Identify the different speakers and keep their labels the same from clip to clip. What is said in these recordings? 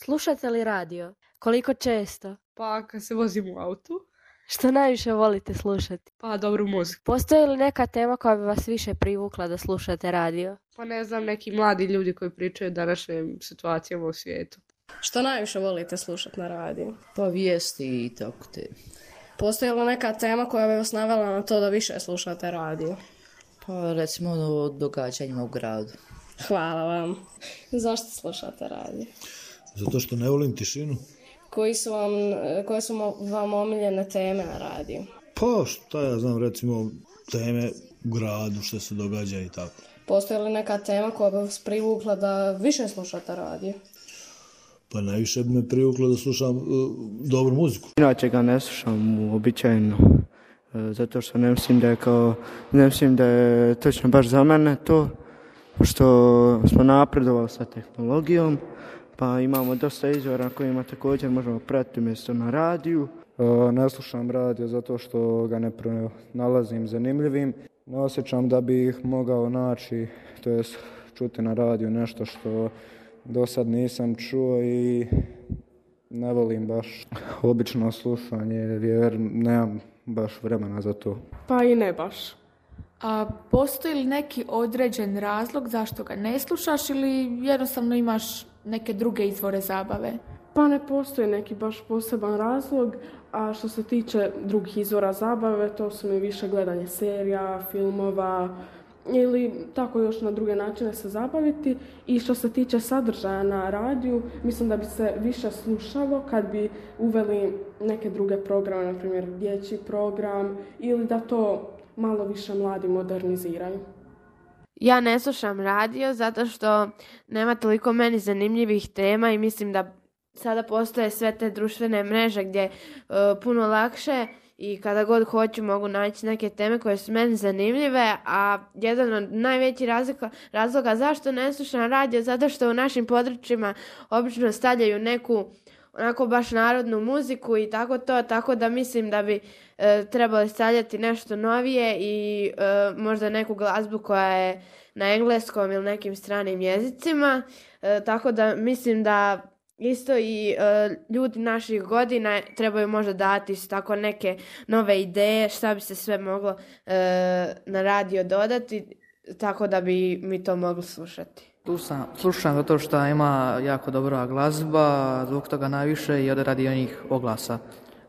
Speaker 1: Slušate li radio? Koliko često?
Speaker 2: Pa kad se vozim u autu.
Speaker 1: Što najviše volite slušati?
Speaker 2: Pa dobru muziku.
Speaker 1: Postoji li neka tema koja bi vas više privukla da slušate radio?
Speaker 2: Pa ne znam, neki mladi ljudi koji pričaju o današnjim situacijama u svijetu.
Speaker 3: Što najviše volite slušati na radiju?
Speaker 4: Pa vijesti i tako te.
Speaker 3: Postoji li neka tema koja bi vas navela na to da više slušate radio?
Speaker 4: Pa recimo o događanjima u gradu.
Speaker 3: Hvala vam. Zašto slušate radio?
Speaker 5: Zato što ne volim tišinu.
Speaker 3: Koje su vam omiljene teme na radiju?
Speaker 5: Pa šta ja znam, recimo teme u gradu, što se događa i tako.
Speaker 3: Postoji li neka tema koja bi vas privukla da više slušate radio?
Speaker 5: Pa najviše bi me privuklo da slušam dobru muziku.
Speaker 6: Inače ga ne slušam uobičajeno, zato što ne mislim da je točno baš za mene to, što smo napredovali sa tehnologijom, pa imamo dosta izvora kojima također možemo pratiti mjesto na radiju.
Speaker 7: Ne slušam radio zato što ga ne nalazim zanimljivim. Ne osjećam da bih mogao naći, to jest čuti na radiju nešto što do sad nisam čuo i ne volim baš obično slušanje jer nemam baš vremena za to.
Speaker 8: Pa i ne baš. A postoji li neki određen razlog zašto ga ne slušaš ili jednostavno imaš neke druge izvore zabave?
Speaker 9: Pa ne postoji neki baš poseban razlog, a što se tiče drugih izvora zabave, to su mi više gledanje serija, filmova ili tako još na druge načine se zabaviti. I što se tiče sadržaja na radiju, mislim da bi se više slušalo kad bi uveli neke druge programe, na primjer dječji program, ili da to malo više mladi moderniziraju.
Speaker 1: Ja ne slušam radio zato što nema toliko meni zanimljivih tema i mislim da sada postoje sve te društvene mreže gdje puno lakše i kada god hoću mogu naći neke teme koje su meni zanimljive, a jedan od najvećih razloga zašto ne slušam radio zato što u našim područjima obično stavljaju neku onako baš narodnu muziku i tako da mislim da bi trebali stavljati nešto novije i možda neku glazbu koja je na engleskom ili nekim stranim jezicima, tako da mislim da isto i ljudi naših godina trebaju možda dati tako neke nove ideje šta bi se sve moglo na radio dodati, tako da bi mi to mogli slušati.
Speaker 10: Slušam zato što ima jako dobra glazba, zbog toga najviše i radi onih oglasa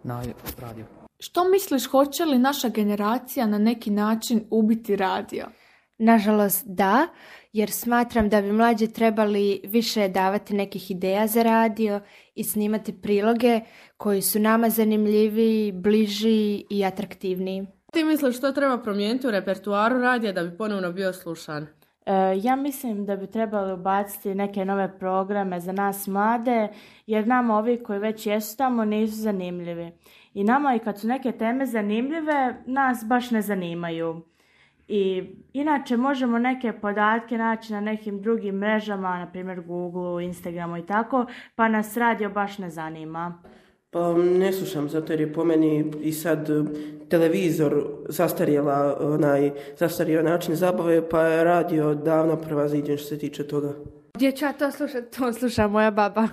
Speaker 10: na radiju.
Speaker 8: Što misliš, hoće li naša generacija na neki način ubiti radio?
Speaker 11: Nažalost da, jer smatram da bi mlađi trebali više davati nekih ideja za radio i snimati priloge koji su nama zanimljiviji, bliži i atraktivniji.
Speaker 2: Ti misliš što treba promijeniti u repertuaru radija da bi ponovno bio slušan?
Speaker 12: Ja mislim da bi trebali ubaciti neke nove programe za nas mlade, jer nama ovi koji već jesu tamo nisu zanimljivi. I nama i kad su neke teme zanimljive, nas baš ne zanimaju. I inače možemo neke podatke naći na nekim drugim mrežama, na primjer Google, Instagramu i tako, pa nas radio baš ne zanima.
Speaker 13: Pa ne slušam, zato jer je po meni i sad televizor zastario način zabave, pa je radio davno prevaziđen što se tiče toga.
Speaker 1: Gdje ću ja to slušati? To sluša moja baba.